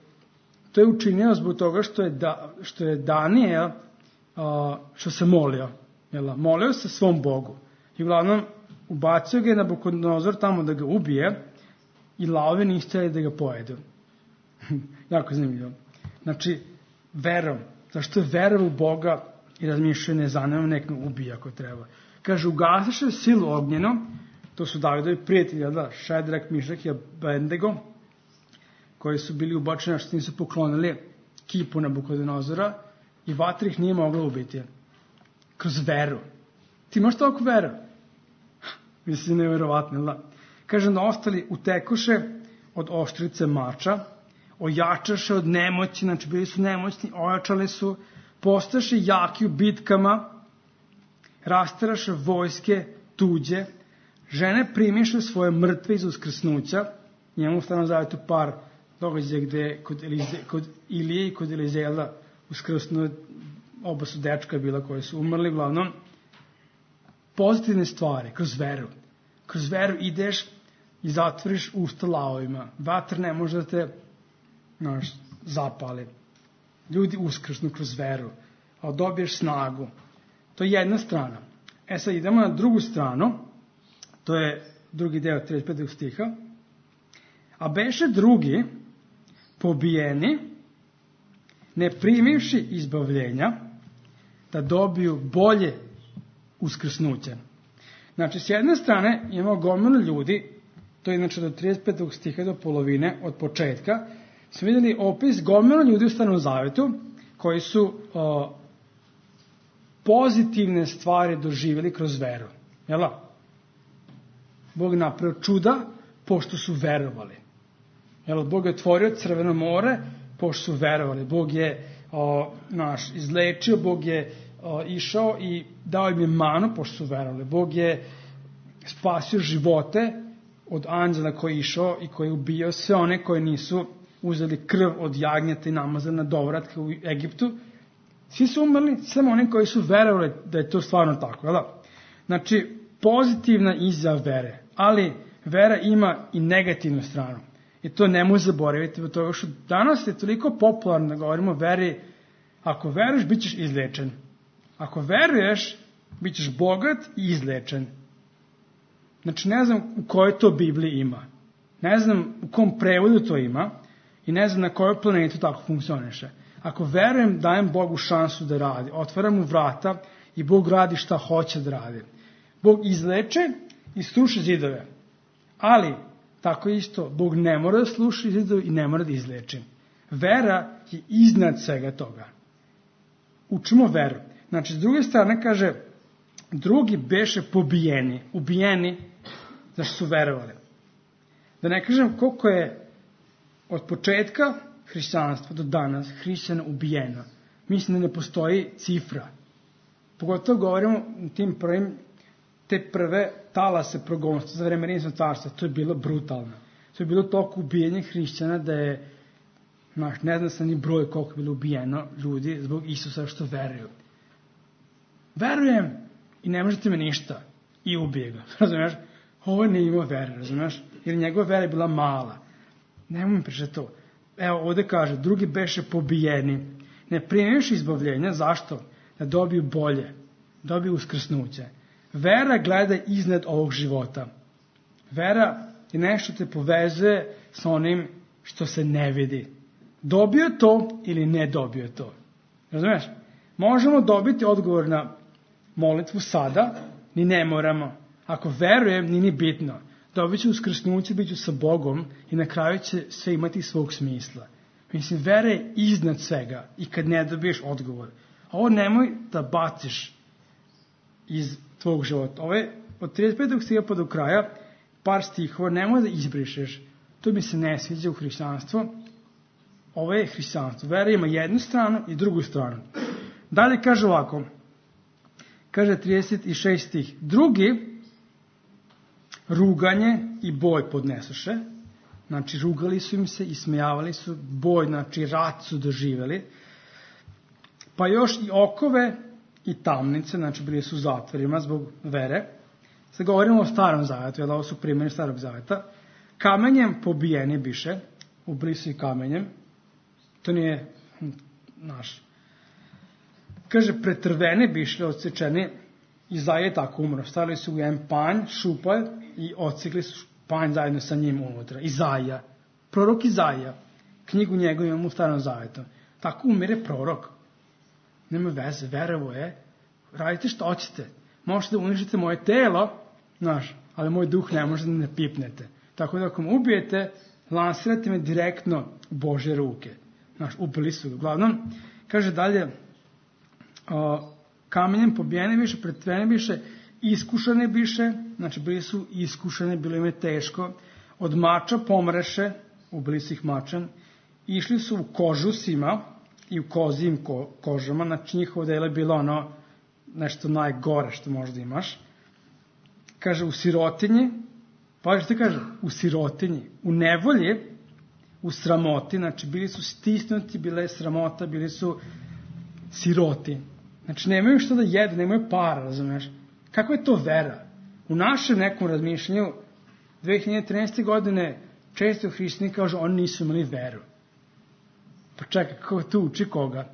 to je učinio zbog toga što je, da, što je Danijel, uh, što se molio, jel da, molio se svom Bogu. I uglavnom, ubacio ga je Nabukodonozor tamo da ga ubije i lavovi nisu htjeli da ga pojedu. Jako zanimljivo. Znači, verom. Zašto je vera u Boga i razmišljaju ne zanima, nek me ubije ako treba. Kaže, ugasiše silu ognjeno, to su Davidovi prijatelji, da, Šedrak, Mišak i Abednego, koji su bili ubačeni, što nisu poklonili kipu Nabukodonozora i vatra ih nije mogla ubiti. Kroz veru. Ti imaš toliko veru? Mislim, nevjerovatno, da. Kaže, da ostali utekoše od oštrice mača, ojačaše od nemoći, znači bili su nemoćni, ojačali su, postaše jaki u bitkama, rastaraše vojske tuđe, žene primiše svoje mrtve iz uskrsnuća, njemu u Starom zavetu par događaja gde kod, Elize, kod Ilije i kod Elizela uskrsnu, oba su dečka bila koji su umrli, uglavnom, pozitivne stvari, kroz veru. Kroz veru ideš i zatvoriš usta lavovima. Vatr ne može da te, znaš, zapali. Ljudi uskrsnu kroz veru, a dobiješ snagu. To je jedna strana. E sad idemo na drugu stranu, to je drugi deo trideset petog stiha. A beše drugi, pobijeni, ne primivši izbavljenja, da dobiju bolje uskrsnuće. Znači, s jedne strane imamo gomilu ljudi, to je inače do trideset petog stiha do polovine, od početka, smo vidjeli opis gomilu ljudi u Starom zavetu, koji su o, pozitivne stvari doživjeli kroz veru. Jel' Bog je napravio čuda, pošto su verovali. Jel' Bog je otvorio Crveno more, pošto su verovali. Bog je o, naš, izlečio, Bog je o, išao i dao im je manu, pošto su verovali. Bog je spasio živote od anđela koji je išao i koji je ubio sve one koji nisu uzeli krv od jagnjeta i namazali na dovratke u Egiptu. Svi su umrli, samo oni koji su verovali da je to stvarno tako. Jel? Znači, pozitivna izjava vere, ali vera ima i negativnu stranu. I to ne može zaboraviti, od toga što danas je toliko popularno da govorimo o veri, ako veruješ, bit ćeš izlečen. Ako veruješ, bit ćeš bogat i izlečen. Znači, ne znam u kojoj to Bibliji ima. Ne znam u kom prevodu to ima i ne znam na kojoj planetu tako funkcioniše. Ako verujem, dajem Bogu šansu da radi. Otvaram mu vrata i Bog radi šta hoće da radi. Bog izleče i sluša zidove. Ali, tako isto, Bog ne mora da sluša zidove i ne mora da izleče. Vera je iznad svega toga. Učimo veru. Znači, s druge strane kaže, drugi beše pobijeni, ubijeni, zašto su verovali. Da ne kažem koliko je od početka hrišćanstva do danas hrišćana ubijeno. Mislim da ne postoji cifra. Pogotovo govorimo o tim prvim, te prve talase progonstva za vreme Rimskog carstva. To je bilo brutalno. To je bilo toliko ubijenja hrišćana da je, znaš, ne znam sam ni broj koliko je bilo ubijeno ljudi zbog Isusa što veruju. Verujem i ne možete me ništa. I ubije ga. Razumiješ? Ovo nije imao vere, razumiješ? Jer njegova vera je bila mala. Nemoj mi pričati to. Evo, ovdje kaže, drugi beše pobijeni. Ne primiješ izbavljenja, zašto? Da dobiju bolje. Dobiju uskrsnuće. Vera gleda iznad ovog života. Vera je nešto te povezuje sa onim što se ne vidi. Dobio to ili ne dobio to. Razumiješ? Možemo dobiti odgovor na molitvu sada, ni ne moramo. Ako verujem, ni ni bitno. dobit će uskrsnuće, bit ću sa Bogom i na kraju će sve imati svog smisla. Mislim, vera je iznad svega i kad ne dobiješ odgovor. Ovo nemoj da baciš iz tvog života. Ovo je od trideset petog stiha pa do kraja par stihova, nemoj da izbrišeš. To mi se ne sviđa u hrišćanstvu. Ovo je hrišćanstvo. Vera ima jednu stranu i drugu stranu. Dalje kaže ovako. Kaže trideset šesti stih. Drugi ruganje i boj podnesoše. Znači, rugali su im se i smejavali su. Boj, znači, rat su doživjeli. Pa još i okove i tamnice, znači, bili su u zatvorima zbog vere. Sad govorimo o starom zavetu, jer ovo su primjeri starog zaveta. Kamenjem pobijeni biše. Ubili su i kamenjem. To nije naš. Kaže, pretrveni bišli, odsečeni. Izaja je tako umro. Stavili su u jedan panj, šupalj i odsekli su panj zajedno sa njim unutra. Izaja. Prorok Izaja. Knjigu njegu imamo u starom zavetu. Tako umire prorok. Nema veze, verovo je. Radite što hoćete. Možete da uništite moje telo, znaš, ali moj duh ne može da ne pipnete. Tako da ako me ubijete, lansirate me direktno u Božje ruke. Znaš, ubili su. Uglavnom, kaže dalje, o, kamenjem pobijeni biše, pretveni biše, iskušane biše, znači bili su iskušane, bilo im je teško, od mača pomreše, ubili su ih mačem, išli su u kožusima i u kozijim ko, kožama, znači njihovo delo je bilo ono nešto najgore što možda imaš. Kaže, u sirotinji, pa što kaže, u sirotinji, u nevolji, u sramoti, znači bili su stisnuti, bila je sramota, bili su siroti. Znači nemaju što da jedu, nemaju para, razumiješ? Kako je to vera? U našem nekom razmišljanju dve hiljade trinaeste. godine često hrišćani kažu oni nisu imali veru. Pa čekaj, kako to uči koga?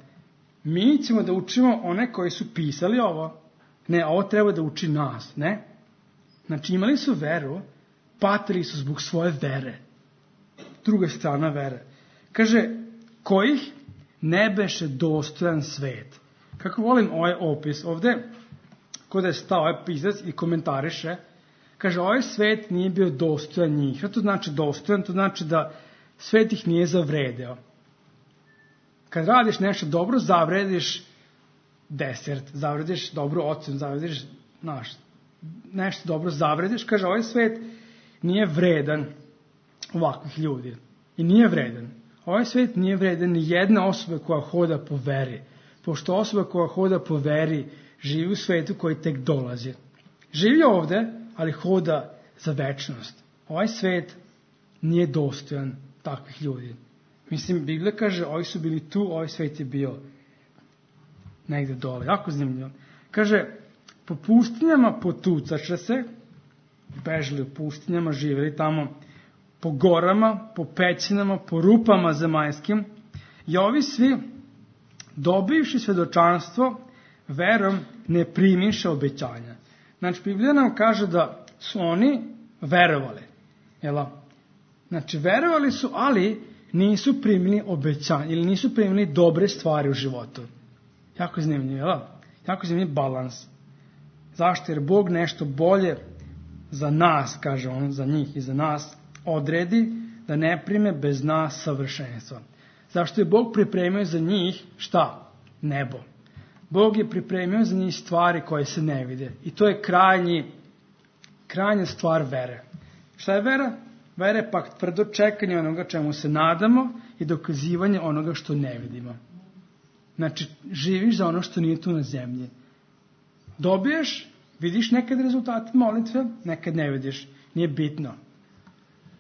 Mi ćemo da učimo one koji su pisali ovo. Ne, ovo treba da uči nas, ne? Znači imali su veru, patili su zbog svoje vere. Druga strana vere. Kaže, kojih ne beše dostojan svet. Kako volim ovaj opis. Ovde, kod je stao ovaj pisac i komentariše, kaže, ovaj svet nije bio dostojan njih. Što to znači dostojan? To znači da svet ih nije zavredeo. Kad radiš nešto dobro, zavrediš desert, zavrediš dobru ocenu, zavrediš, znaš, nešto dobro zavrediš. Kaže, ovaj svet nije vredan ovakvih ljudi. I nije vredan. Ovaj svet nije vredan ni jedna osoba koja hoda po veri. Pošto osoba koja hoda po veri živi u svetu koji tek dolazi. Živi ovde, ali hoda za večnost. Ovaj svet nije dostojan takvih ljudi. Mislim, Biblija kaže, ovi su bili tu, ovaj svet je bio negde dole. Jako zanimljivo. Kaže, po pustinjama potucaše se, bežali u pustinjama, živjeli tamo, po gorama, po pećinama, po rupama zemaljskim, i ovi svi, dobivši svedočanstvo, verom ne primiše obećanja. Znači, Biblija nam kaže da su oni verovali. Jel? Znači, verovali su, ali nisu primili obećanja, ili nisu primili dobre stvari u životu. Jako zanimljivo, jel? Jako zanimljiv balans. Zašto? Jer Bog nešto bolje za nas, kaže on, za njih i za nas, odredi da ne prime bez nas savršenstva. Zašto je Bog pripremio za njih šta? Nebo. Bog je pripremio za njih stvari koje se ne vide. I to je krajnji, krajnja stvar vere. Šta je vera? Vera je pak tvrdo čekanje onoga čemu se nadamo i dokazivanje onoga što ne vidimo. Znači, živiš za ono što nije tu na zemlji. Dobiješ, vidiš nekad rezultate molitve, nekad ne vidiš. Nije bitno.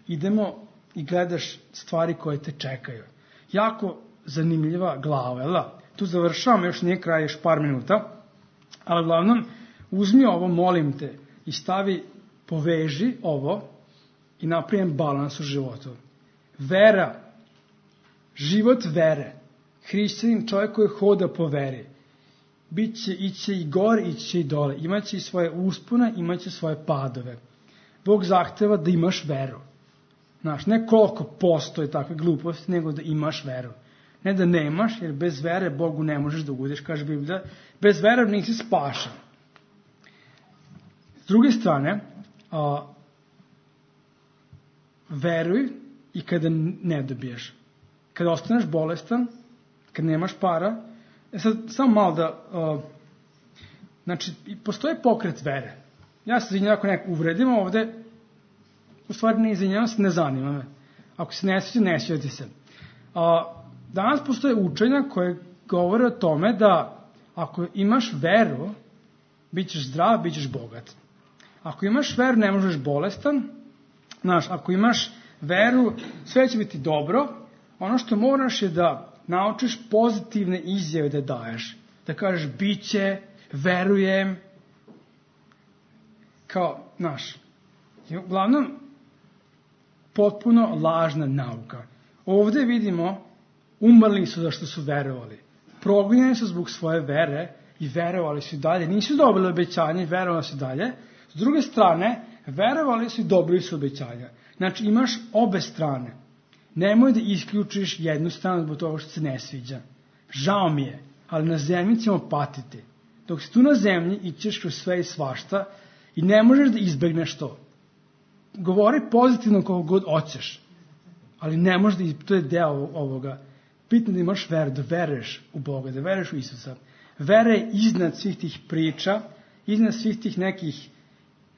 Idemo i gledaš stvari koje te čekaju. Jako zanimljiva glava, jel da? Tu završavam, još nije kraj, još par minuta, ali uglavnom, uzmi ovo, molim te, i stavi, poveži ovo i napravim balans u životu. Vera, život vere, hrišćanin, čovjek koji hoda po veri, biće, iće i gore, iće i dole, imaće i svoje uspone, imaće svoje padove. Bog zahteva da imaš veru. Znaš, ne koliko postoji takve gluposti, nego da imaš veru. Ne da nemaš, jer bez vere Bogu ne možeš da ugodeš, kaže Biblija. Bez vere nisi spašen. S druge strane, a, veruj i kada ne dobiješ. Kada ostaneš bolestan, kad nemaš para, e sad, samo malo da, uh, znači, postoji pokret vere. Ja se izvinjam ako neko uvredim ovde, u stvari ne izvinjam se, ne zanima me. Ako se ne sviđa, ne sviđa ti se. Uh, danas postoje učenja koje govore o tome da ako imaš veru, bit ćeš zdrav, bit ćeš bogat. Ako imaš veru, ne možeš bolestan. Znaš, ako imaš veru, sve će biti dobro. Ono što moraš je da naučiš pozitivne izjave da daješ. Da kažeš, bit će, verujem. Kao, znaš, uglavnom, potpuno lažna nauka. Ovde vidimo, umrli su zašto su verovali. Progonjeni su zbog svoje vere i verovali su i dalje. Nisu dobili obećanje i verovali su dalje. S druge strane, verovali su i dobili su obećanja. Znači, imaš obe strane. Nemoj da isključiš jednu stranu zbog toga što se ne sviđa. Žao mi je, ali na zemlji ćemo patiti. Dok si tu na zemlji, ićeš kroz sve i svašta i ne možeš da izbegneš to. Govori pozitivno koliko god hoćeš, ali ne možeš da izbegneš, to je deo ovoga. Bitno da imaš veru, da veruješ u Boga, da veruješ u Isusa. Vera je iznad svih tih priča, iznad svih tih nekih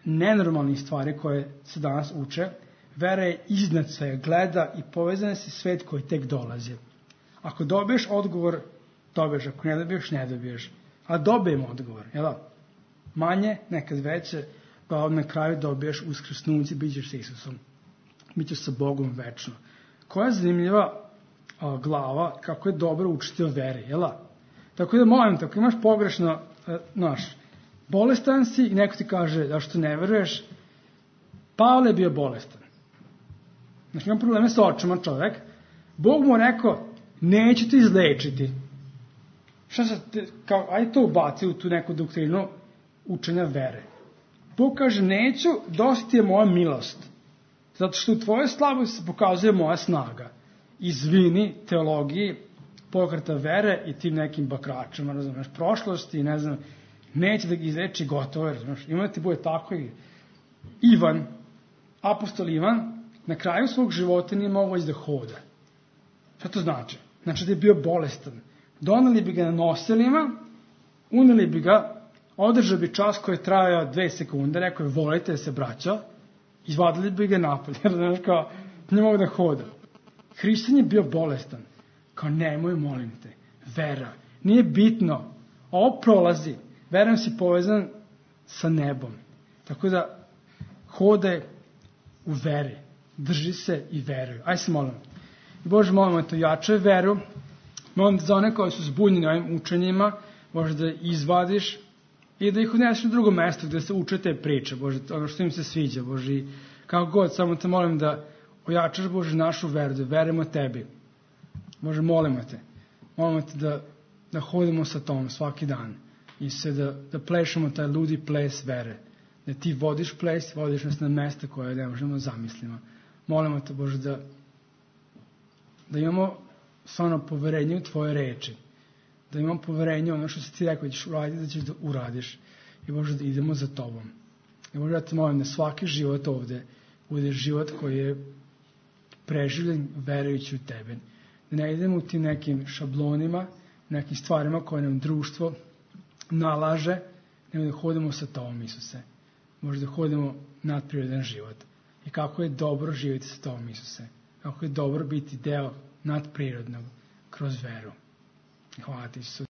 nenormalnih stvari koje se danas uče. Vera je iznad svega, gleda i povezana se svet koji tek dolazi. Ako dobiješ odgovor, dobiješ. Ako ne dobiješ, ne dobiješ. A dobijemo odgovor, jel da? Manje, nekad veće, pa na kraju dobiješ uskrsnuće, bit ćeš sa Isusom. Bićeš sa Bogom večno. Koja je zanimljiva a, glava, kako je dobro učiti o veri, jel da? Tako da molim te, ako imaš pogrešno, a, naš, bolestan si i neko ti kaže da što ne veruješ, Pavle je bio bolestan. Znači, imam probleme sa očima čovek. Bog mu rekao, neću te izlečiti. Šta se, kao, ajde to ubaci u tu neku doktrinu učenja vere. Bog kaže, neću, dosta ti je moja milost. Zato što u tvojoj slabosti se pokazuje moja snaga. Izvini teologiji, pokreta vere i tim nekim bakračima, razumeš, prošlosti, ne znam, neće da ga izleči gotovo, razumeš. Ima da ti bude tako i Ivan, apostol Ivan, na kraju svog života nije mogao da hoda. Šta to znači? Znači da je bio bolestan. Doneli bi ga na nosilima, uneli bi ga, održao bi čas koji je trajao dve sekunde, rekao je volite se braćo, izvadili bi ga napolje, jer znaš kao, ne mogu da hoda. Hrišćan je bio bolestan. Kao nemoj, molim te, vera. Nije bitno, ovo prolazi, verujem si povezan sa nebom. Tako da hodaj u veri, drži se i veruj. Aj se molim. Bože, molimo te, jačaj veru. Molim te za one koji su zbunjeni ovim učenjima, Bože da izvadiš i da ih uneseš na drugo mesto gde se uče te priče, Bože, ono što im se sviđa, Bože, i kako god, samo te molim da ojačaš, Bože, našu veru, da verujemo tebi. Bože, molimo te, molimo te da, da hodimo sa tom svaki dan i se da, da plešemo taj ludi ples vere, da ti vodiš ples, vodiš nas na mesta koje ne možemo zamislimo. Molimo te, Bože, da, da imamo stvarno poverenje u tvoje reči, da imamo poverenje u ono što si ti rekao da ćeš uraditi, da ćeš da uradiš i Bože da idemo za tobom. I Bože da te molim da svaki život ovde bude život koji je preživljen verujući u tebe. Da ne idemo u tim nekim šablonima, nekim stvarima koje nam društvo nalaže, nego da hodimo sa tobom, Isuse. Možda da hodimo nadprirodan život. I kako je dobro živjeti sa tobom, Isuse. Kako je dobro biti deo nadprirodnog kroz veru. Hvala ti, Isuse.